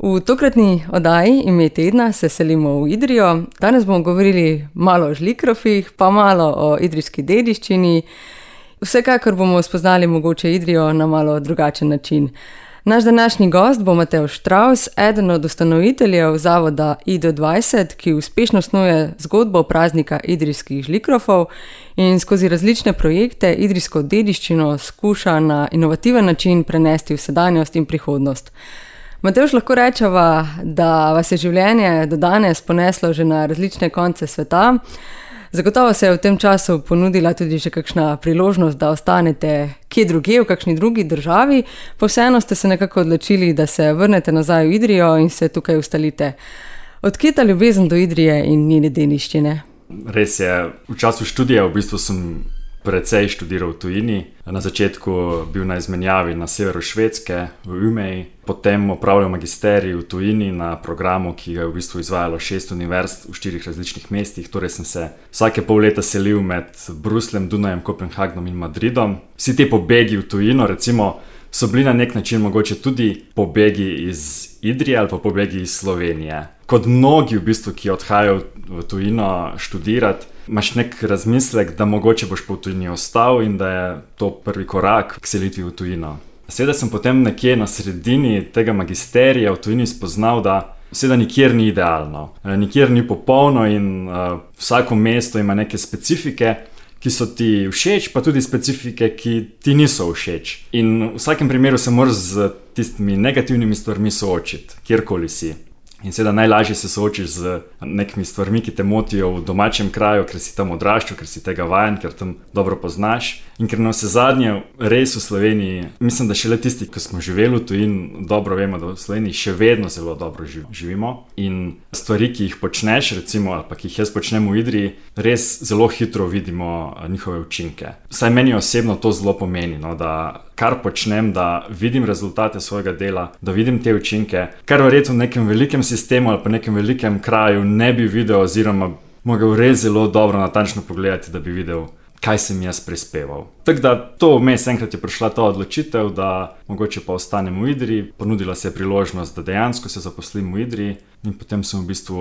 V tokratni oddaji Ime tedna se selimo v Idrijo. Danes bomo govorili malo o žlikrofih, pa malo o idrijski dediščini. Vsekakor bomo spoznali mogoče Idrijo na malo drugačen način. Naš današnji gost bo Matevž Štravs, eden od ustanoviteljev zavoda IDO20, ki uspešno snuje zgodbo praznika idrijskih žlikrofov in skozi različne projekte idrijsko dediščino skuša na inovativen način prenesti v sedanjost in prihodnost. Matevž, lahko rečeva, da vas je življenje do danes poneslo že na različne konce sveta. Zagotovo se je v tem času ponudila tudi že kakšna priložnost, da ostanete kje drugje, v kakšni drugi državi, pa vseeno ste se nekako odločili, da se vrnete nazaj v Idrijo in se tukaj ustalite. Odkje ta ljubezen do Idrije in njene dediščine? Res je, v času študija v bistvu sem precej študiral v tujini. Na začetku bil na izmenjavi na severu Švedske, v Umeji, potem opravljal magisterij v tujini na programu, ki ga je v bistvu izvajalo 6 univerz v 4 različnih mestih. Torej sem se vsake pol leta selil med Brusljem, Dunajem, Kopenhagnom in Madridom. Vsi te pobegi v tujino, recimo, so bili na nek način mogoče tudi pobegi iz Idrije ali pa pobegi iz Slovenije. Kot mnogi v bistvu, ki odhajajo v tujino študirati, imaš nek razmislek, da mogoče boš pa v tujini ostal in da je to prvi korak k selitvi v tujino. Seveda sem potem nekje na sredini tega magisterija v tujini spoznal, da seveda nikjer ni idealno, nikjer ni popolno in vsako mesto ima neke specifike, ki so ti všeč, pa tudi specifike, ki ti niso všeč. In v vsakem primeru se moraš z tistimi negativnimi stvarmi soočiti, kjerkoli si. In seveda najlažje se soočiš z nekimi stvarmi, ki te motijo v domačem kraju, ker si tam odraščal, ker si tega vajen, ker tam dobro poznaš. In ker na vsezadnje res v Sloveniji, mislim, da šele tisti, ki smo živeli v tujini, dobro vemo, da v Sloveniji še vedno zelo dobro živimo. In stvari, ki jih počneš, recimo, ali pa ki jih jaz počnem v Idriji, res zelo hitro vidimo njihove učinke. Vsaj meni osebno to zelo pomeni, no, da kar počnem, da vidim rezultate svojega dela, da vidim te učinke, kar verjetno v nekem velikem sistemu ali pa nekem velikem kraju ne bi videl oziroma mogel res zelo dobro natančno pogledati, da bi videl, kaj sem jaz prispeval. Tako da to vmes enkrat je prišla ta odločitev, da mogoče pa ostanem v Idriji. Ponudila se je priložnost, da dejansko se zaposlim v Idriji in potem sem v bistvu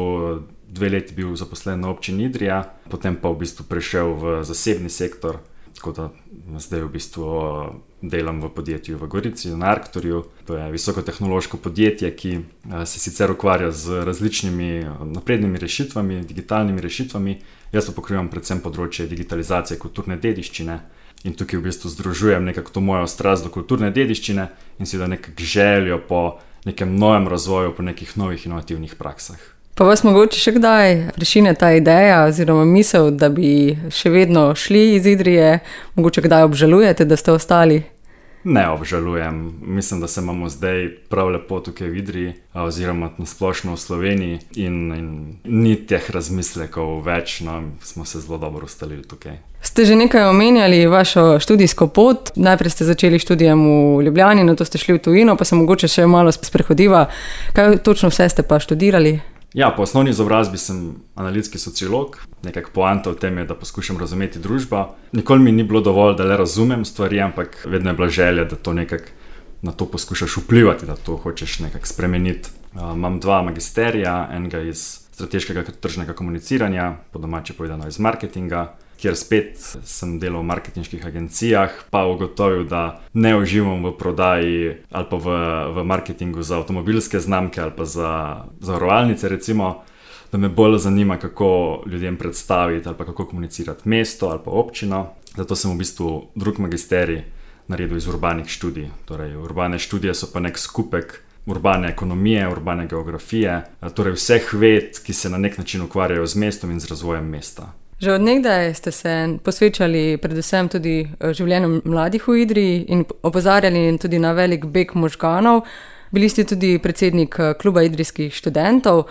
2 leti bil zaposlen na občini Idrija, potem pa v bistvu prešel v zasebni sektor, tako da zdaj v bistvu delam v podjetju v Gorici, na Arcturju. To je visokotehnološko podjetje, ki se sicer ukvarja z različnimi naprednimi rešitvami, digitalnimi rešitvami. Jaz pa pokrivam predvsem področje digitalizacije kulturne dediščine in tukaj v bistvu združujem nekako to mojo strast do kulturne dediščine in seveda nekako željo po nekem novem razvoju, po nekih novih inovativnih praksah. Pa vas mogoče še kdaj prešine ta ideja oziroma misel, da bi še vedno šli iz Idrije? Mogoče kdaj obžalujete, da ste ostali? Ne obžalujem. Mislim, da se imamo zdaj prav lepo tukaj v Idriji oziroma nasplošno v Sloveniji in ni teh razmislekov več, no, smo se zelo dobro ustalili tukaj. Ste že nekaj omenjali vašo študijsko pot. Najprej ste začeli študijem v Ljubljani, nato ste šli v tujino, pa se mogoče še malo sprehodiva. Kaj točno vse ste pa študirali? Ja, po osnovni izobrazbi sem analitski sociolog. Nekako poanta v tem je, da poskušam razumeti družbo. Nikoli mi ni bilo dovolj, da le razumem stvari, ampak vedno je bila želja, da to nekako na to poskušaš vplivati, da to hočeš nekako spremeniti. Imam 2 magisterija, enega iz strateškega tržnega komuniciranja, po domače povedano iz marketinga, kjer spet sem delal v marketinških agencijah, pa ugotovil, da ne uživam v prodaji ali pa v marketingu za avtomobilske znamke ali pa za zavarovalnice recimo, da me bolj zanima, kako ljudem predstaviti ali pa kako komunicirati mesto ali pa občino. Zato sem v bistvu drug magisterij naredil iz urbanih študij. Torej, urbane študije so pa nek skupek urbane ekonomije, urbane geografije, torej vseh ved, ki se na nek način ukvarjajo z mestom in z razvojem mesta. Že od nekdaj ste se posvečali predvsem tudi življenju mladih v Idriji in opozarjali tudi na velik beg možganov. Bili ste tudi predsednik kluba idrijskih študentov.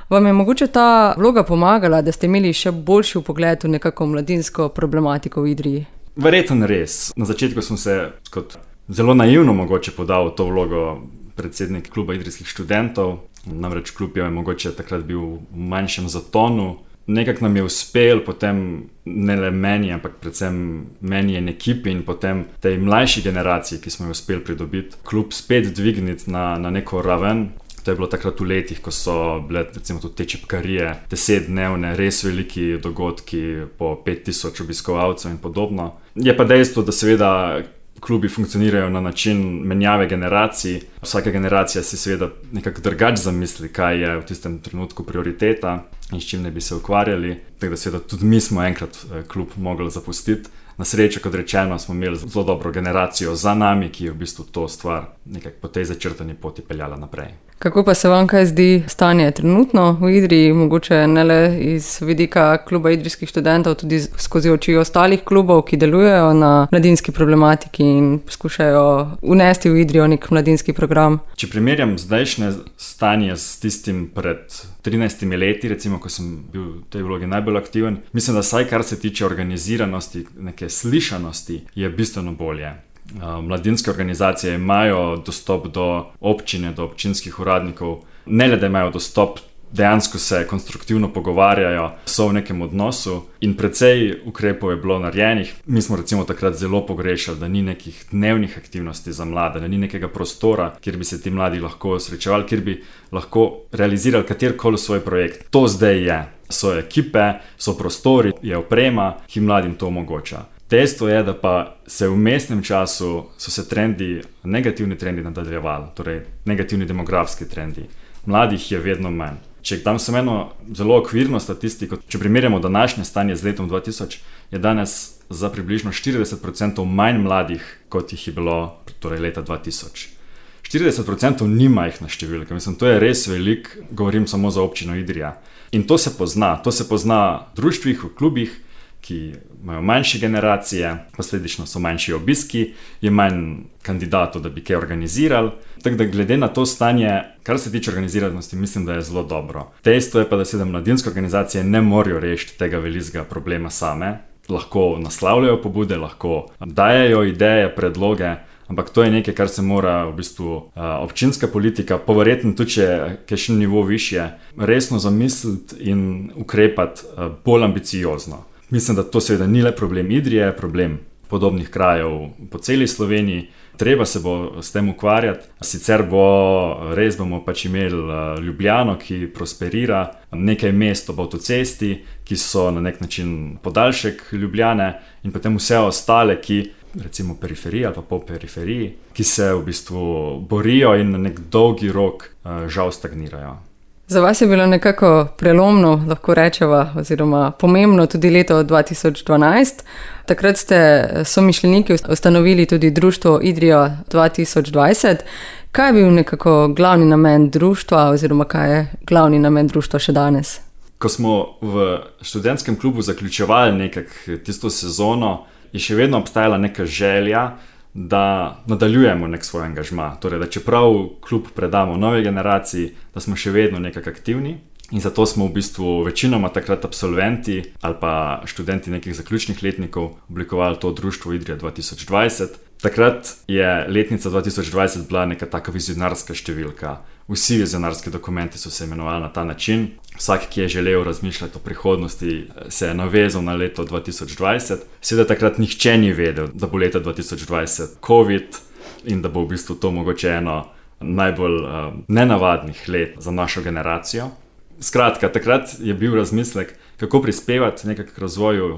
Vam je mogoče ta vloga pomagala, da ste imeli še boljši vpogled v nekako mladinsko problematiko v Idriji? Verjetno res. Na začetku sem se kot zelo naivno mogoče podal v to vlogo predsednik kluba idrijskih študentov. Namreč klub je mogoče takrat bil v manjšem zatonu. Nekako nam je uspel, potem ne le meni, ampak predvsem meni in ekipi in potem tej mlajši generaciji, ki smo jo uspeli pridobiti, klub spet dvigniti na neko raven. To je bilo takrat v letih, ko so bile recimo tudi te čepkarije, 10-dnevne, res veliki dogodki po 5000 obiskovalcev in podobno. Je pa dejstvo, da seveda klubi funkcionirajo na način menjave generacij. Vsaka generacija si seveda nekako drugače zamisli, kaj je v tistem trenutku prioriteta in s čim ne bi se ukvarjali. Tako da seveda tudi mi smo enkrat klub mogli zapustiti. Na srečo, kot rečeno, smo imeli zelo dobro generacijo za nami, ki je v bistvu to stvar nekako po tej začrtani poti peljala naprej. Kako pa se vam kaj zdi stanje trenutno v Idriji, mogoče ne le iz vidika kluba idrijskih študentov, tudi skozi oči ostalih klubov, ki delujejo na mladinski problematiki in poskušajo unesti v Idrijo nek mladinski program? Če primerjam zdajšnje stanje s tistim pred 13 leti, recimo, ko sem bil v tej vlogi najbolj aktiven, mislim, da saj kar se tiče organiziranosti, neke slišanosti, je bistveno bolje. Mladinske organizacije imajo dostop do občine, do občinskih uradnikov, ne le da imajo dostop, dejansko se konstruktivno pogovarjajo, so v nekem odnosu in precej ukrepov je bilo narejenih. Mi smo recimo takrat zelo pogrešali, da ni nekih dnevnih aktivnosti za mlade, da ni nekega prostora, kjer bi se ti mladi lahko srečevali, kjer bi lahko realizirali katerkoli svoj projekt. To zdaj je. So ekipe, so prostori, je oprema, ki mladim to omogoča. Dejstvo je, da pa se v vmesnem času so se negativni trendi nadaljevali, torej negativni demografski trendi. Mladih je vedno manj. Če dam samo eno zelo okvirno statistiko, če primerjamo današnje stanje z letom 2000, je danes za približno 40% manj mladih, kot jih je bilo torej leta 2000. 40% ni majhna številka, mislim, to je res velik, govorim samo za občino Idrija. In to se pozna v društvih, v klubih, ki imajo manjše generacije, posledično so manjši obiski, je manj kandidatov, da bi kaj organizirali. Tako da glede na to stanje, kar se tiče organiziranosti, mislim, da je zelo dobro. Dejstvo je pa, da se mladinske organizacije ne morejo rešiti tega velikega problema same. Lahko naslavljajo pobude, lahko dajejo ideje, predloge, ampak to je nekaj, kar se mora v bistvu občinska politika, pa verjetno tudi če kakšen nivo višje, resno zamisliti in ukrepati bolj ambiciozno. Mislim, da to seveda ni le problem Idrije, problem podobnih krajev po celi Sloveniji. Treba se bo s tem ukvarjati, sicer bomo pač imeli Ljubljano, ki prosperira, nekaj mest ob avtocesti, ki so na nek način podaljšek Ljubljane in potem vse ostale, ki recimo periferiji ali pa po periferiji, ki se v bistvu borijo in na nek dolgi rok žal stagnirajo. Za vas je bilo nekako prelomno, lahko rečeva, oziroma pomembno tudi leto 2012. Takrat ste somišljeniki ustanovili tudi društvo Idrija 2020. Kaj je bil nekako glavni namen društva oziroma kaj je glavni namen društva še danes? Ko smo v študentskem klubu zaključevali nekako tisto sezono, je še vedno obstajala neka želja, da nadaljujemo nek svoj angažma. Torej, da čeprav klub predamo nove generaciji, da smo še vedno nekako aktivni. In zato smo v bistvu večinoma takrat absolventi ali pa študenti nekih zaključnih letnikov oblikovali to društvo Idrija 2020. Takrat je letnica 2020 bila neka taka vizionarska številka. Vsi vizionarski dokumenti so se imenovali na ta način. Vsak, ki je želel razmišljati o prihodnosti, se je navezal na leto 2020. Seveda takrat nihče ni vedel, da bo leta 2020 COVID in da bo v bistvu to mogoče eno najbolj nenavadnih let za našo generacijo. Skratka, takrat je bil razmislek, kako prispevati nekako k razvoju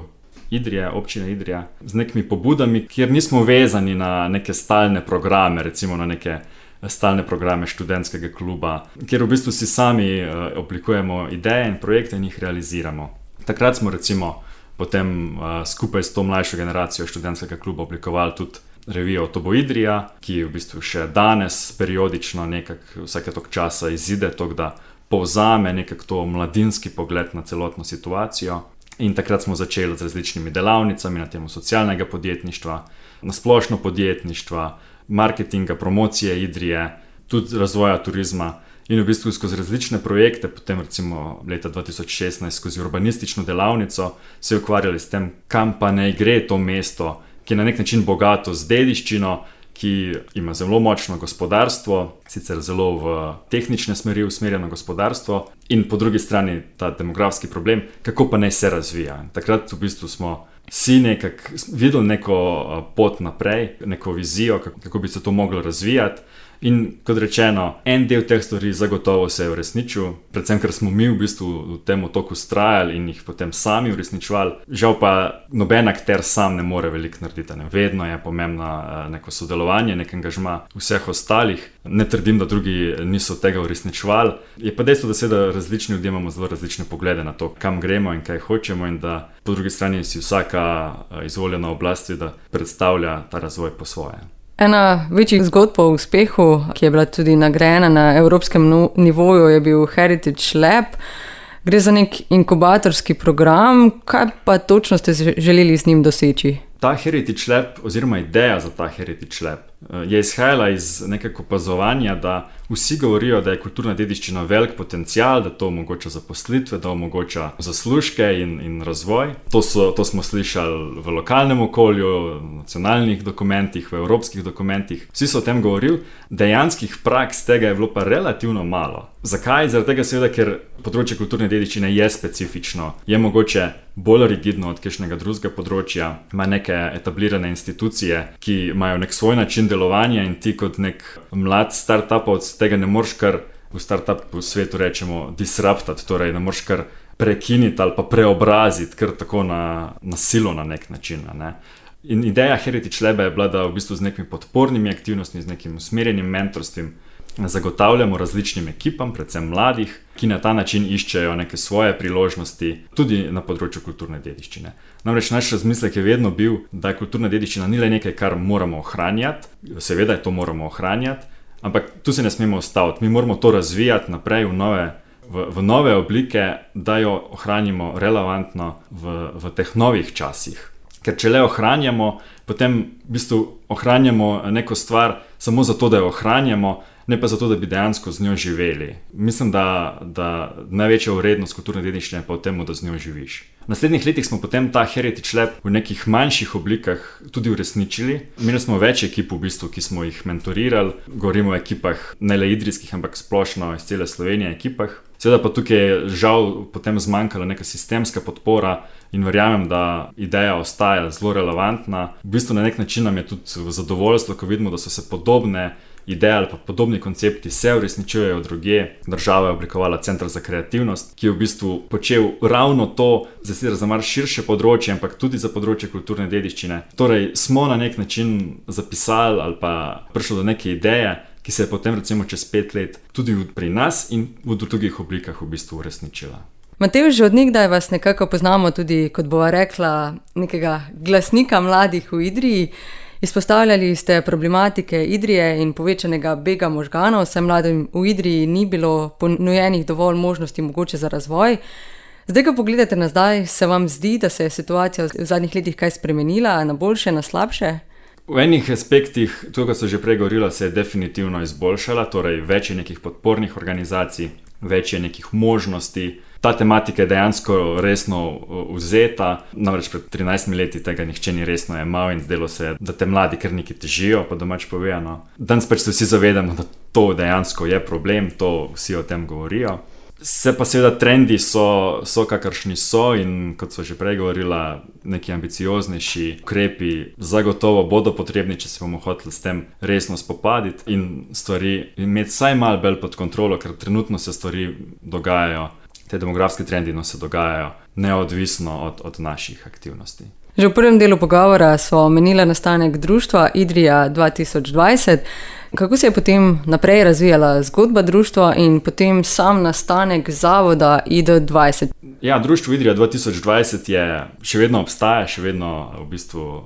Idrije, občine Idrija, z nekimi pobudami, kjer nismo vezani na neke stalne programe, recimo na neke stalne programe študentskega kluba, kjer v bistvu si sami oblikujemo ideje in projekte in jih realiziramo. Takrat smo recimo potem skupaj s to mlajšo generacijo študentskega kluba oblikovali tudi revijo To bo Idrija, ki v bistvu še danes periodično nekako vsake toliko časa izide, tako da povzame nekako to mladinski pogled na celotno situacijo. In takrat smo začeli z različnimi delavnicami na temo socialnega podjetništva, na splošno podjetništva, marketinga, promocije Idrije, tudi razvoja turizma in v bistvu skozi različne projekte, potem recimo leta 2016 skozi urbanistično delavnico se ukvarjali s tem, kam pa naj gre to mesto, ki je na nek način bogato z dediščino, ki ima zelo močno gospodarstvo, sicer zelo v tehnične smeri usmerjeno gospodarstvo in po drugi strani ta demografski problem, kako pa naj se razvija. Takrat v bistvu smo vsi nekako videli neko pot naprej, neko vizijo, kako bi se to moglo razvijati In kot rečeno, en del teh stvari zagotovo se je uresničil, predvsem ker smo mi v bistvu v tem toku vztrajali in jih potem sami uresničevali. Žal pa noben akter sam ne more veliko narediti. Ne? Vedno je pomembno neko sodelovanje, nek angažma vseh ostalih. Ne trdim, da drugi niso tega uresničevali. Je pa dejstvo, da seveda različni ljudje imamo zelo različne poglede na to, kam gremo in kaj hočemo, in da po drugi strani si vsaka izvoljena oblast da predstavlja ta razvoj po svoje. Ena večjih zgodb o uspehu, ki je bila tudi nagrajena na evropskem nivoju, je bil Heritage Lab. Gre za nek inkubatorski program. Kaj pa točno ste želeli z njim doseči? Ta Heritage Lab, oziroma ideja za ta Heritage Lab, je izhajala iz nekega opazovanja, da vsi govorijo, da je kulturna dediščina velik potencial, da to omogoča zaposlitve, da omogoča zaslužke in razvoj. To smo slišali v lokalnem okolju, v nacionalnih dokumentih, v evropskih dokumentih. Vsi so o tem govorili, dejanskih praks tega je bilo pa relativno malo. Zakaj? Zaradi tega seveda, ker področje kulturne dediščine je specifično, je mogoče bolj rigidno od kakšnega drugega področja, ima neke etablirane institucije, ki imajo nek svoj način delovanja, in ti kot nek mlad startupovec tega ne moreš kar v startup svetu rečemo disruptati, torej ne moreš kar prekiniti ali pa preobraziti kar tako na silo na nek način. Ne? In ideja Heritage Laba je bila, da v bistvu z nekimi podpornimi aktivnostmi, z nekim usmerjenim mentorstvom zagotavljamo različnim ekipam, predvsem mladih, ki na ta način iščejo neke svoje priložnosti tudi na področju kulturne dediščine. Namreč naš razmislek je vedno bil, da kulturna dediščina ni le nekaj, kar moramo ohranjati, seveda je to moramo ohranjati, ampak tu se ne smemo ustaviti, mi moramo to razvijati naprej v nove oblike, da jo ohranimo relevantno v teh novih časih. Ker če le ohranjamo, potem v bistvu ohranjamo neko stvar samo zato, da jo ohranjamo, ne pa zato, da bi dejansko z njo živeli. Mislim, da največja vrednost kulturne dediščine je pa v tem, da z njo živiš. V naslednjih letih smo potem ta Heritage Lab v nekih manjših oblikah tudi uresničili. Imeli smo več ekip v bistvu, ki smo jih mentorirali. Govorimo o ekipah ne le idrijskih, ampak splošno iz cele Slovenije ekipah. Seveda pa tukaj je žal potem zmanjkala neka sistemska podpora in verjamem, da ideja ostaja zelo relevantna. V bistvu na nek način nam je tudi v zadovoljstvo, ko vidimo, da so se podobne ideje ali pa podobni koncepti se uresničujejo drugje. Država je oblikovala Center za kreativnost, ki je v bistvu počel ravno to, za mar širše področje, ampak tudi za področje kulturne dediščine. Torej smo na nek način zapisali ali pa prišli do neke ideje, ki se je potem recimo čez 5 let tudi pri nas in v drugih oblikah v bistvu uresničila. Matevž, že od nekdaj vas nekako poznamo tudi, kot bova rekla, nekega glasnika mladih v Idriji. Izpostavljali ste problematike Idrije in povečanega bega možganov, saj mladim v Idriji ni bilo ponujenih dovolj možnosti mogoče za razvoj. Zdaj, ko pogledate nazaj, se vam zdi, da se je situacija v zadnjih letih kaj spremenila, na boljše, na slabše? V enih aspektih, to, kar so že prej govorila, se je definitivno izboljšala, torej več je nekih podpornih organizacij, več je nekih možnosti. Ta tematika je dejansko resno vzeta, namreč pred 13 leti tega nihče ni resno jemal in zdelo se je, da te mladi kar nekaj težijo, pa domač povedano. Danes pač se vsi zavedamo, da to dejansko je problem, to vsi o tem govorijo. Se pa seveda trendi so kakršni so in kot so že prej govorila, neki ambicioznejši ukrepi zagotovo bodo potrebni, če se bomo hoteli s tem resno spopaditi in stvari imeti vsaj malo bolj pod kontrolo, ker trenutno se stvari dogajajo. Te demografske trendi se dogajajo neodvisno od naših aktivnosti. Že v prvem delu pogovora smo omenili nastanek društva Idrija 2020. Kako se je potem naprej razvijala zgodba društva in potem sam nastanek zavoda ID20? Ja, društvo Idrija 2020 še vedno obstaja, še vedno v bistvu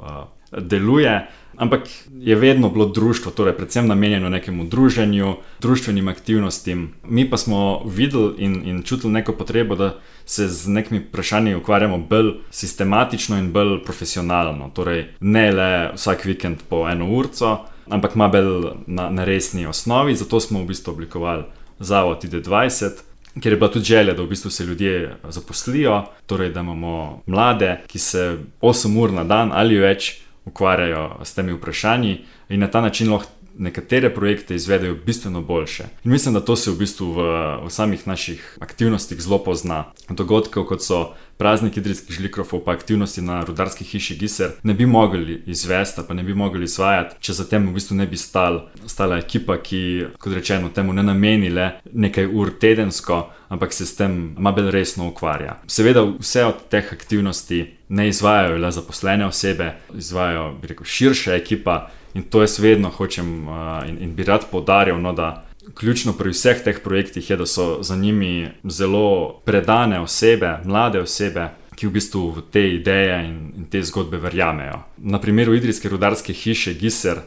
deluje. Ampak je vedno bilo društvo, torej predvsem namenjeno nekemu druženju, društvenim aktivnostim. Mi pa smo videli in čutili neko potrebo, da se z nekimi vprašanji ukvarjamo bolj sistematično in bolj profesionalno. Torej ne le vsak vikend po 1 urco, ampak ima bolj na resni osnovi. Zato smo v bistvu oblikovali zavod ID20, ker je bila tudi želja, da v bistvu se ljudje zaposlijo, torej da imamo mlade, ki se 8 ur na dan ali več ukvarjajo s temi vprašanji. in na ta način lahko nekatere projekte izvedejo bistveno boljše. In mislim, da to se v bistvu v samih naših aktivnostih zelo pozna. Dogodkov, kot so praznik idrijskih žlikrofov, pa aktivnosti na rudarski hiši Giser, ne bi mogli izvesti, pa ne bi mogli izvajati, če za tem v bistvu ne bi stala ekipa, ki, kot rečeno, temu ne nameni le nekaj ur tedensko, ampak se s tem malo bolj resno ukvarja. Seveda vse od teh aktivnosti ne izvajajo le zaposlene osebe, izvajajo, bi rekel, širša ekipa. In to jaz vedno hočem in bi rad poudarjal, da ključno pri vseh teh projektih je, da so za njimi zelo predane osebe, mlade osebe, ki v bistvu v te ideje in te zgodbe verjamejo. Na primeru idrijske rudarske hiše Giser,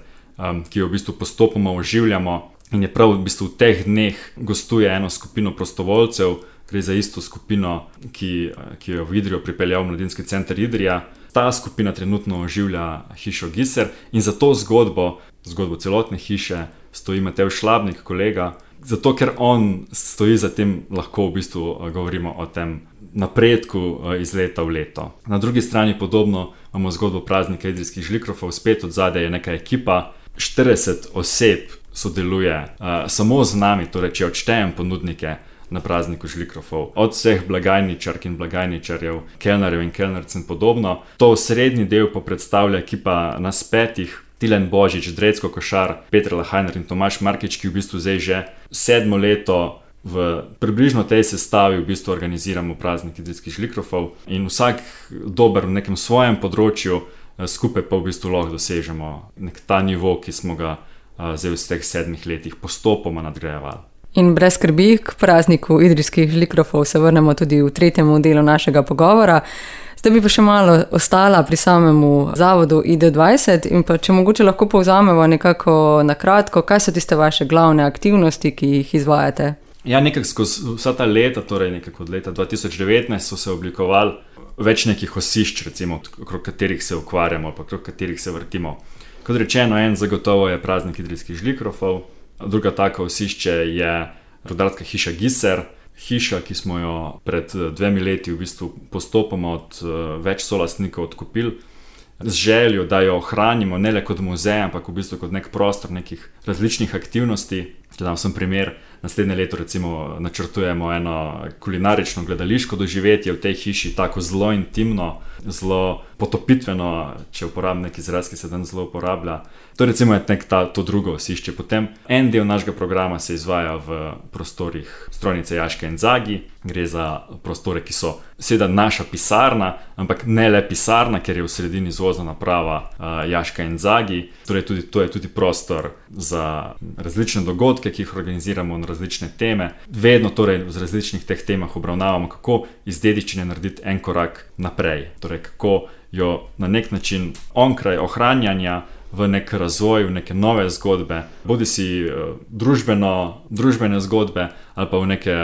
ki jo v bistvu postopoma oživljamo in je prav v bistvu v teh dneh gostuje eno skupino prostovoljcev, gre za isto skupino, ki jo v Idrijo pripeljal Mladinski center Idrija. Ta skupina trenutno oživlja hišo Giser in za to zgodbo celotne hiše stoji Matevž Šlabnik, kolega, zato ker on stoji za tem, lahko v bistvu govorimo o tem napredku iz leta v leto. Na drugi strani podobno imamo zgodbo praznika idrijskih žlikrofov, spet od zadaj je neka ekipa, 40 oseb sodeluje samo z nami, torej če odštejem ponudnike na prazniku žlikrofov, od vseh blagajničark in blagajničarjev, kelnerjev in kelnerc in podobno. To srednji del pa predstavlja ekipa nas 5, Tilen Božič, Drecko Košar, Peter Lahajner in Tomaž Markič, ki v bistvu zdaj že 7. leto v približno tej sestavi v bistvu organiziramo praznik idrijskih žlikrofov in vsak dober v nekem svojem področju, skupaj pa v bistvu lahko dosežemo nek ta nivo, ki smo ga zdaj v teh 7 letih postopoma nadgrajevali. In brez skrbi, k prazniku idrijskih žlikrofov se vrnemo tudi v 3. delu našega pogovora. Zdaj bi pa še malo ostala pri samemu zavodu ID20 in pa če mogoče lahko povzamemo nekako na kratko, kaj so tiste vaše glavne aktivnosti, ki jih izvajate? Ja, nekako skozi vsa ta leta, torej nekako od leta 2019 so se oblikovali več nekih osišč, recimo, okrog katerih se ukvarjamo, pa okrog katerih se vrtimo. Kot rečeno, en zagotovo je praznik idrijskih žlikrofov, druga taka osišče je rudarska hiša Giser, hiša, ki smo jo pred 2 leti v bistvu postopoma od več solastnikov odkupili, z željo, da jo ohranimo ne le kot muzej, ampak v bistvu kot nek prostor nekih različnih aktivnosti. Dam sem primer, naslednje leto recimo načrtujemo eno kulinarično gledališko doživetje v tej hiši, tako zelo intimno, zelo potopitveno, če uporabim nek izraz, ki se dan zelo uporablja. To recimo je to drugo osišče. Potem en del našega programa se izvaja v prostorih strojnice Jaška in Zagi. Gre za prostore, ki so seveda naša pisarna, ampak ne le pisarna, ker je v sredini izvozna naprava Jaška in Zagi. Torej to je tudi prostor za različne dogodke, ki jih organiziramo na različne teme. Vedno torej v različnih teh temah obravnavamo, kako iz dediščine narediti en korak naprej. Torej kako jo na nek način onkraj ohranjanja v nek razvoj, v neke nove zgodbe, bodi si družbene zgodbe ali pa v neke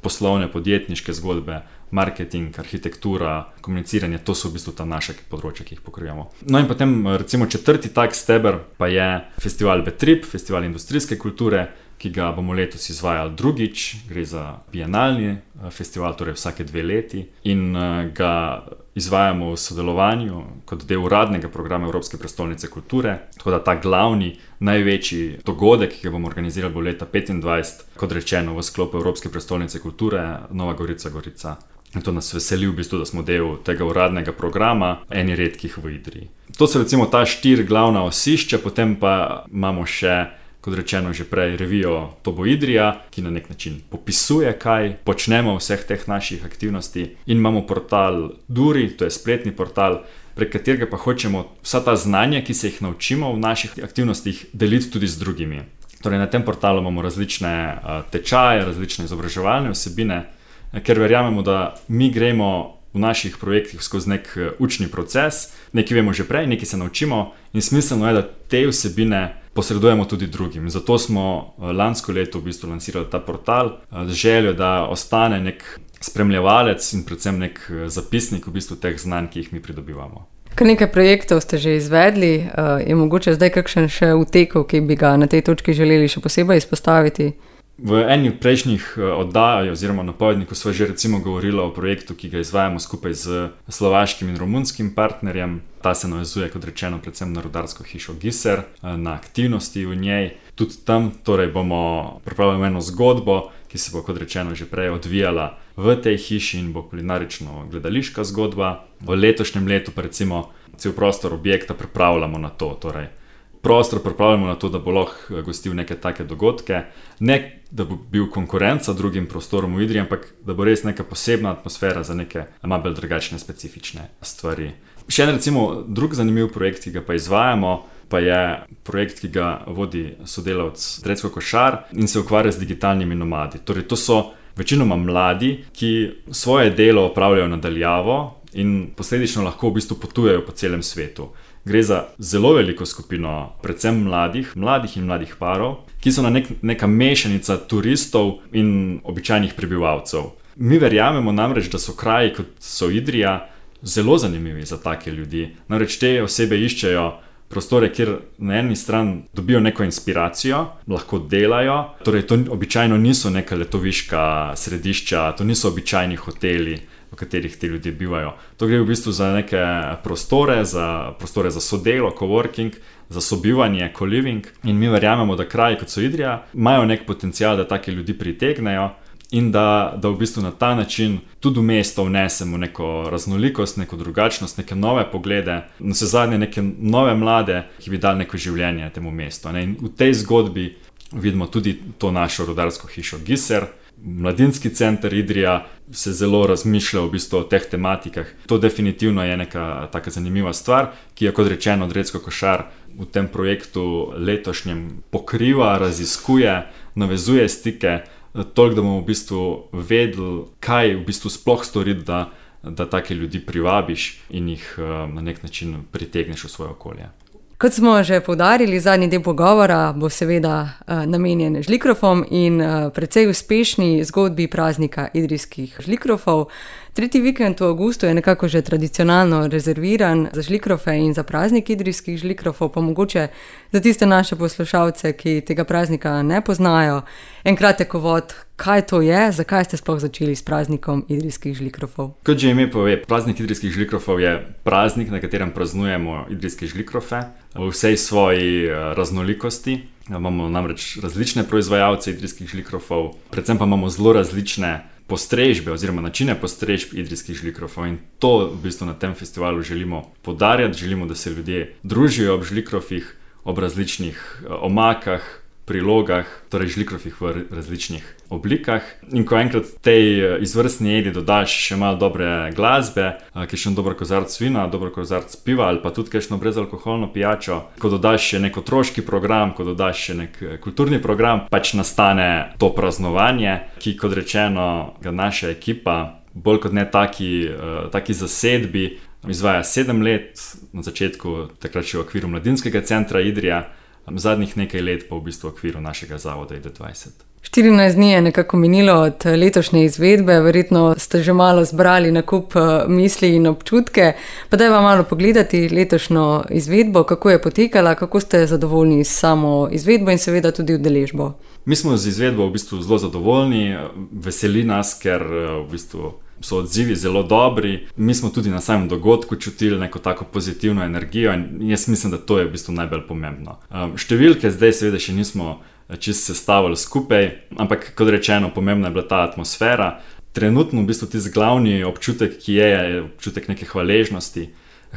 poslovne, podjetniške zgodbe, marketing, arhitektura, komuniciranje, to so v bistvu ta naša področja, ki jih pokrivamo. No in potem recimo 4. tak steber pa je festival Betrip, festival industrijske kulture, ki ga bomo letos izvajali drugič, gre za bienalni festival, torej vsake 2 leti in ga izvajamo v sodelovanju kot del uradnega programa Evropske prestolnice kulture, tako da ta glavni, največji dogodek, ki ga bomo organizirali bo leta 2025, kot rečeno v sklopu Evropske prestolnice kulture, Nova Gorica. In to nas veseli v bistvu, da smo del tega uradnega programa, eni redkih v Idriji. To so recimo ta 4 glavna osišča, potem pa imamo še, kot rečeno že prej, revijo To bo Idrija, ki na nek način popisuje, kaj počnemo v vseh teh naših aktivnosti. In imamo portal Duri, to je spletni portal, prek katerega pa hočemo vsa ta znanja, ki se jih naučimo v naših aktivnostih, deliti tudi z drugimi. Torej na tem portalu imamo različne tečaje, različne izobraževalne vsebine, ker verjamemo, da mi gremo v naših projektih skozi nek učni proces, nekaj vemo že prej, nekaj se naučimo in smiselno je, da te vsebine posredujemo tudi drugim. Zato smo lansko leto v bistvu lansirali ta portal z željo, da ostane nek spremljevalec in predvsem nek zapisnik v bistvu teh znanj, ki jih mi pridobivamo. Kar nekaj projektov ste že izvedli, je mogoče zdaj kakšen še v teku, ki bi ga na tej točki želeli še posebej izpostaviti? V eni od prejšnjih oddaj oziroma napovednikov sva že recimo govorila o projektu, ki ga izvajamo skupaj z slovaškim in romunskim partnerjem. Ta se navezuje, kot rečeno, predvsem na rudarsko hišo Giser, na aktivnosti v njej. Tudi tam torej bomo pripravili eno zgodbo, ki se bo, kot rečeno, že prej odvijala v tej hiši in bo kulinarično gledališka zgodba. V letošnjem letu pa recimo cel prostor objekta pripravljamo na to, torej prostor pripravljamo na to, da bo lahko gostil neke take dogodke, ne da bo bil konkurenca drugim prostorom v Idriji, ampak da bo res neka posebna atmosfera za neke malo bolj drugačne, specifične stvari. Še en recimo drug zanimiv projekt, ki ga pa izvajamo, pa je projekt, ki ga vodi sodelavec Drecko Košar in se ukvarja z digitalnimi nomadi. Torej to so večinoma mladi, ki svoje delo opravljajo nadaljavo in posledično lahko v bistvu potujejo po celem svetu. Gre za zelo veliko skupino, predvsem mladih in mladih parov, ki so neka mešanica turistov in običajnih prebivalcev. Mi verjamemo namreč, da so kraji, kot so Idrija, zelo zanimivi za take ljudi. Namreč te osebe iščejo prostore, kjer na eni strani dobijo neko inspiracijo, lahko delajo, torej to običajno niso neka letoviška središča, to niso običajni hoteli, v katerih ti ljudje bivajo. To gre v bistvu za neke prostore za sodelo, coworking, za sobivanje, co-living. In mi verjamemo, da kraji, kot so Idrija, imajo nek potencial, da take ljudi pritegnejo in da v bistvu na ta način tudi v mesto vnesemo neko raznolikost, neko drugačnost, neke nove poglede, navsezadnje neke nove mlade, ki bi dali neko življenje temu mestu. In v tej zgodbi vidimo tudi to našo rudarsko hišo Giser. Mladinski center Idrija se zelo razmišlja v bistvu o teh tematikah. To definitivno je neka taka zanimiva stvar, ki je, kot rečeno, Drecko Košar v tem projektu letošnjem pokriva, raziskuje, navezuje stike, toliko, da bomo v bistvu vedeli, kaj v bistvu sploh storiti, da take ljudi privabiš in jih na nek način pritegneš v svoje okolje. Kot smo že poudarili, zadnji del pogovora bo seveda namenjen žlikrofom in precej uspešni zgodbi praznika idrijskih žlikrofov. Tretji vikend v avgustu je nekako že tradicionalno rezerviran za žlikrofe in za praznik idrijskih žlikrofov, pa mogoče za tiste naše poslušalce, ki tega praznika ne poznajo. En kratek uvod, kaj to je, zakaj ste sploh začeli s praznikom idrijskih žlikrofov? Kot že ime pove, praznik idrijskih žlikrofov je praznik, na katerem praznujemo idrijske žlikrofe v vsej svoji raznolikosti. Imamo namreč različne proizvajalce idrijskih žlikrofov, predvsem pa imamo zelo različne postrežbe oziroma načine postrežb idrijskih žlikrofov in to v bistvu na tem festivalu želimo poudarjati. Želimo, da se ljudje družijo ob žlikrofih, ob različnih omakah, prilogah, torej žlikrofih v različnih oblikah. In ko enkrat tej izvrstni jedi dodaš še malo dobre glasbe, kakšen dober kozarc vina, dober kozarc piva ali pa tudi kakšno brezalkoholno pijačo, ko dodaš še nek otroški program, ko dodaš še nek kulturni program, pač nastane to praznovanje, ki, kot rečeno, ga naša ekipa bolj kot ne taki zasedbi izvaja 7 let, na začetku takrat še v okviru Mladinskega centra Idrija, zadnjih nekaj let pa v bistvu v okviru našega zavoda ID20. 14 dni je nekako minilo od letošnje izvedbe, verjetno ste že malo zbrali na kup misli in občutke, pa dajva malo pogledati letošnjo izvedbo, kako je potekala, kako ste zadovoljni s samo izvedbo in seveda tudi udeležbo. Mi smo z izvedbo v bistvu zelo zadovoljni, veseli nas, ker v bistvu so odzivi zelo dobri. Mi smo tudi na samem dogodku čutili neko tako pozitivno energijo in jaz mislim, da to je v bistvu najbolj pomembno. Številke zdaj seveda še nismo čisto sestavili skupaj, ampak kot rečeno, pomembna je bila ta atmosfera. Trenutno v bistvu tisti glavni občutek, ki je občutek neke hvaležnosti.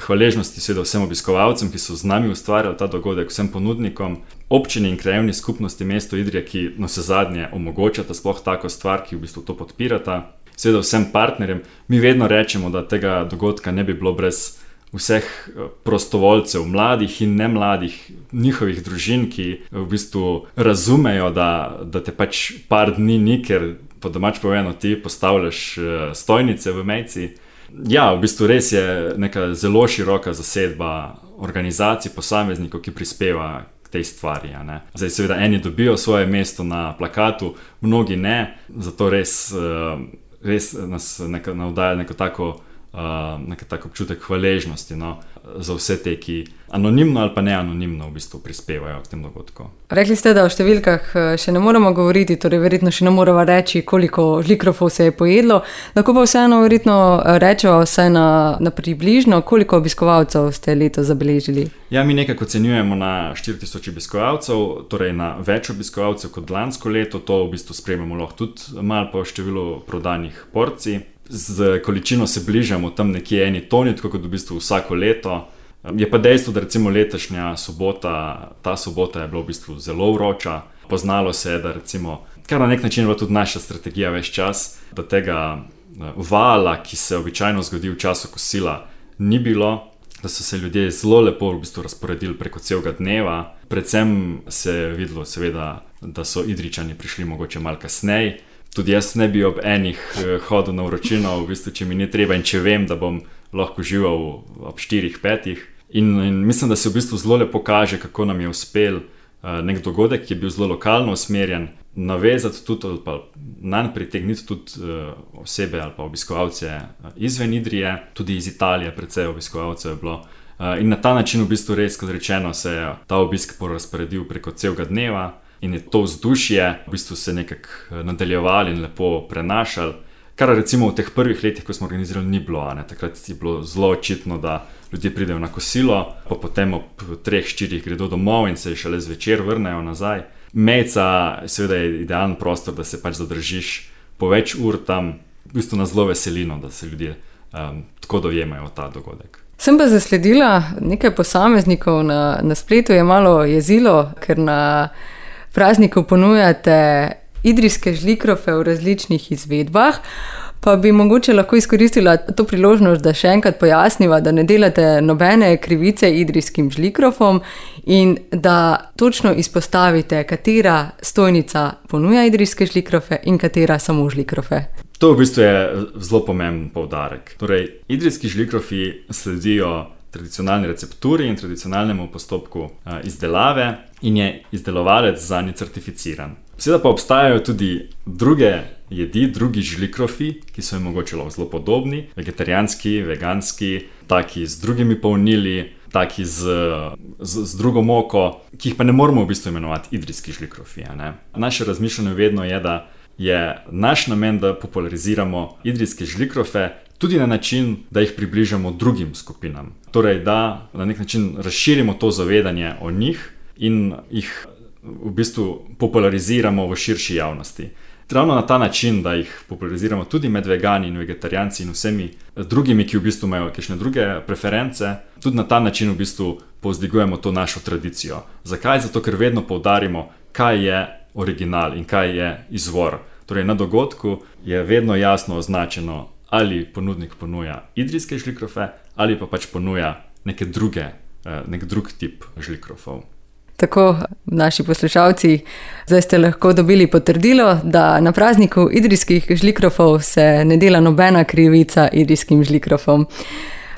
Hvaležnosti seveda vsem obiskovalcem, ki so z nami ustvarjali ta dogodek, vsem ponudnikom, občini in krajevni skupnosti mesto Idrija, ki navsezadnje omogočata sploh tako stvar, ki v bistvu to podpirata. Seveda vsem partnerjem. Mi vedno rečemo, da tega dogodka ne bi bilo brez vseh prostovoljcev, mladih in nemladih, njihovih družin, ki v bistvu razumejo, da te pač par dni ni, ker po domač povedano ti postavljaš stojnice v mejci. Ja, v bistvu res je neka zelo široka zasedba organizacij, posameznikov, ki prispeva k tej stvari. Zdaj seveda eni dobijo svoje mesto na plakatu, mnogi ne, zato res nas navdaja neko tako občutek hvaležnosti. za vse te, ki anonimno ali pa neanonimno v bistvu prispevajo k tem dogodkom. Rekli ste, da o številkah še ne moremo govoriti, torej verjetno še ne moremo reči, koliko žlikrofov se je pojedlo. Lahko pa vseeno verjetno rečemo vsaj na približno, koliko obiskovalcev ste letos zabeležili? Ja, mi nekako ocenjujemo na 4000 obiskovalcev, torej na več obiskovalcev kot lansko leto. To v bistvu spremljamo lahko tudi malo po številu prodanih porcij. Z količino se bližamo tam nekje 1 toni, tako kot v bistvu vsako leto. Je pa dejstvo, da recimo letošnja sobota, ta sobota je bila v bistvu zelo vroča. Poznalo se je, da recimo, kar na nek način je bila tudi naša strategija ves čas, da tega vala, ki se običajno zgodi v času kosila, ni bilo, da so se ljudje zelo lepo v bistvu razporedili preko celega dneva. Predvsem se je videlo seveda, da so Idrijčani prišli mogoče malo kasneje. Tudi jaz ne bi ob enih hodil na vročino, v bistvu, če mi ni treba in če vem, da bom lahko živel ob 4-5. In mislim, da se v bistvu zelo lepo kaže, kako nam je uspel nek dogodek, ki je bil zelo lokalno usmerjen, navezati tudi ali pa nanj pritegniti tudi osebe ali pa obiskovalce izven Idrije, tudi iz Italije precej obiskovalcev je bilo. In na ta način v bistvu res, kot rečeno, se je ta obisk porazporedil preko celega dneva in je to vzdušje v bistvu se nekako nadaljevali in lepo prenašali. Kar recimo v teh prvih letih, ko smo organizirali, ni bilo. Takrat je bilo zelo očitno, da ljudje pridejo na kosilo, pa potem ob 3-4 gredo domov in se šele zvečer vrnejo nazaj. Mejca seveda je idealen prostor, da se pač zadržiš po več ur tam. V bistvu nas zelo veselino, da se ljudje tako dojemajo ta dogodek. Sem pa zasledila nekaj posameznikov na spletu je malo jezilo, ker na prazniku ponujate idrijske žlikrofe v različnih izvedbah, pa bi mogoče lahko izkoristila to priložnost, da še enkrat pojasniva, da ne delate nobene krivice idrijskim žlikrofom in da točno izpostavite, katera stojnica ponuja idrijske žlikrofe in katera samo žlikrofe. To v bistvu je zelo pomemben poudarek. Torej, idrijski žlikrofi sledijo tradicionalni recepturi in tradicionalnemu postopku izdelave in je izdelovalec zanje certificiran. Seveda pa obstajajo tudi druge jedi, drugi žlikrofi, ki so jim mogoče zelo podobni, vegetarijanski, veganski, taki z drugimi polnili, taki z drugo moko, ki jih pa ne moramo v bistvu imenovati idrijski žlikrofi. Naše razmišljanje vedno je, da je naš namen, da populariziramo idrijske žlikrofe tudi na način, da jih približamo drugim skupinam. Torej, da na nek način razširimo to zavedanje o njih in jih v bistvu populariziramo v širši javnosti. Ravno na ta način, da jih populariziramo tudi med vegani in vegetarijanci in vsemi drugimi, ki v bistvu imajo kakšne druge preference, tudi na ta način v bistvu povzdigujemo to našo tradicijo. Zakaj? Zato, ker vedno poudarimo, kaj je original in kaj je izvor. Torej, na dogodku je vedno jasno označeno, ali ponudnik ponuja idrijske žlikrofe ali pa pač ponuja nek drug tip žlikrofov. Tako, naši poslušalci, zdaj ste lahko dobili potrdilo, da na prazniku idrijskih žlikrofov se ne dela nobena krivica idrijskim žlikrofom.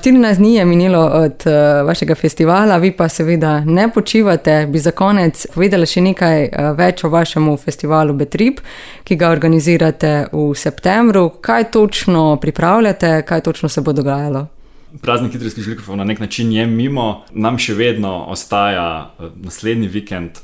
14 dni je minilo od vašega festivala, vi pa seveda ne počivate. Bi za konec povedala še nekaj več o vašemu festivalu Betrip, ki ga organizirate v septembru. Kaj točno pripravljate, kaj točno se bo dogajalo? Praznik idrijskih žlikrofov na nek način je mimo. Nam še vedno ostaja naslednji vikend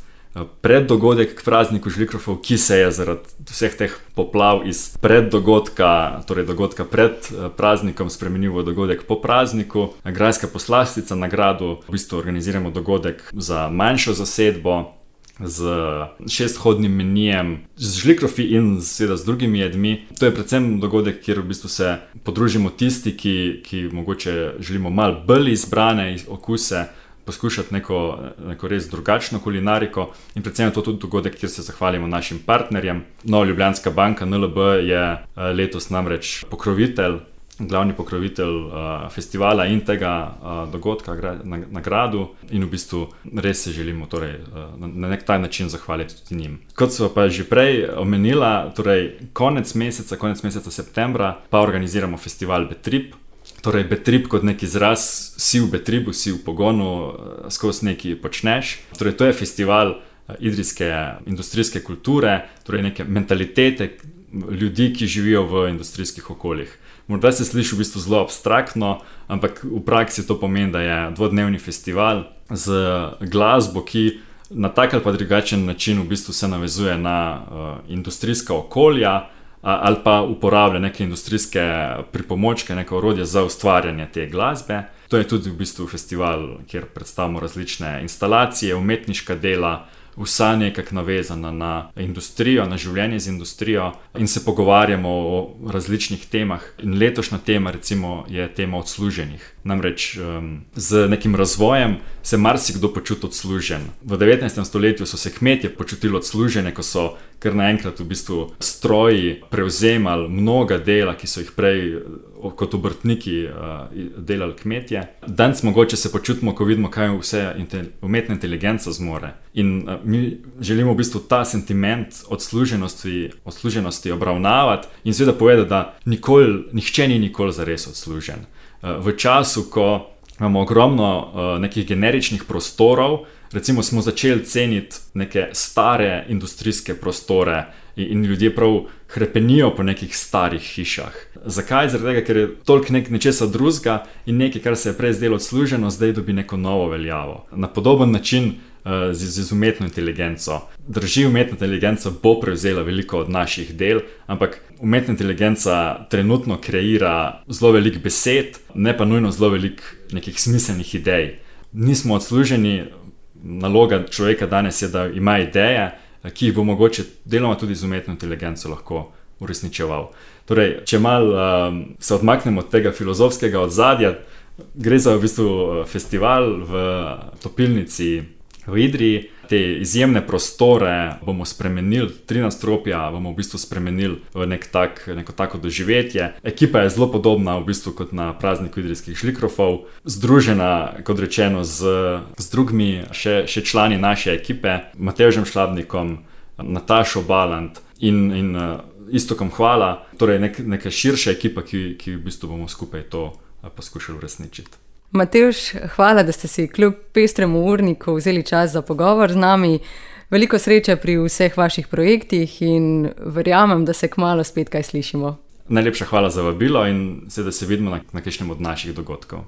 preddogodek k prazniku žlikrofov, ki se je zaradi vseh teh poplav iz preddogodka, torej dogodka pred praznikom, spremenil v dogodek po prazniku. Grajska poslastica na gradu, v bistvu organiziramo dogodek za manjšo zasedbo, z 6-hodnim menijem, z žlikrofi in seveda z drugimi jedmi. To je predvsem dogodek, kjer v bistvu se podružimo tisti, ki mogoče želimo malo bolj izbrane okuse, poskušati neko res drugačno kulinariko in predvsem je to tudi dogodek, kjer se zahvalimo našim partnerjem. Nova Ljubljanska banka NLB je letos namreč pokrovitelj, glavni pokrovitelj festivala in tega dogodka na gradu in v bistvu res se želimo torej, na nek taj način zahvaliti tudi njim. Kot so pa že prej omenila, torej konec meseca septembra pa organiziramo festival Betrip. Torej, Betrip kot nek izraz, si v Betribu, si v pogonu, skozi nekaj počneš. Torej, to je festival idrijske industrijske kulture, torej neke mentalitete, ljudi, ki živijo v industrijskih okoljih. Morda se sliši v bistvu zelo abstraktno, ampak v praksi to pomeni, da je dvodnevni festival z glasbo, ki na tak ali pa drugačen način v bistvu se navezuje na industrijska okolja ali pa uporablja neke industrijske pripomočke, neke orodje za ustvarjanje te glasbe. To je tudi v bistvu festival, kjer predstavimo različne instalacije, umetniška dela, vsa nekako navezana na industrijo, na življenje z industrijo in se pogovarjamo o različnih temah. In letošnja tema recimo je tema odsluženih. Namreč z nekim razvojem se marsikdo počuti odslužen. V 19. stoletju so se kmetje počutili odslužene, ko so kar naenkrat v bistvu stroji prevzemali mnoga dela, ki so jih prej kot obrtniki delali kmetje. Danes mogoče se počutimo, ko vidimo, kaj vse umetna inteligenca zmore. In mi želimo v bistvu ta sentiment odsluženosti obravnavati in seveda povedati, da nihče ni nikoli zares odslužen. V času, ko imamo ogromno nekih generičnih prostorov, recimo smo začeli ceniti neke stare industrijske prostore in ljudje prav hrepenijo po nekih starih hišah. Zakaj? Zaradi tega, ker je toliko nečesa drugega in nekaj, kar se je prej zdelo odsluženo, zdaj dobi neko novo veljavo. Na podoben način z umetno inteligenco. Drži, umetna inteligenca bo prevzela veliko od naših del, ampak umetna inteligenca trenutno kreira zelo veliko besed, ne pa nujno zelo veliko nekih smiselnih idej. Nismo odsluženi, naloga človeka danes je, da ima ideje, ki jih bo mogoče deloma tudi z umetno inteligenco lahko uresničeval. Torej, če malo se odmaknemo od tega filozofskega ozadja, gre za v bistvu festival v topilnici v Idriji. Te izjemne prostore bomo spremenili, 3 nadstropja bomo v bistvu spremenili v neko tako doživetje. Ekipa je zelo podobna v bistvu kot na prazniku idrijskih žlikrofov, združena, kot rečeno, z drugimi še člani naše ekipe, Matevžem Šlabnikom, Natašo Balant in Iztokom Hvala, torej neka širša ekipa, ki v bistvu bomo skupaj to poskušali uresničiti. Matevž, hvala, da ste si kljub pestremu urniku vzeli čas za pogovor z nami. Veliko sreče pri vseh vaših projektih in verjamem, da se kmalu spet kaj slišimo. Najlepša hvala za vabilo in seveda se vidimo na kakšnem od naših dogodkov.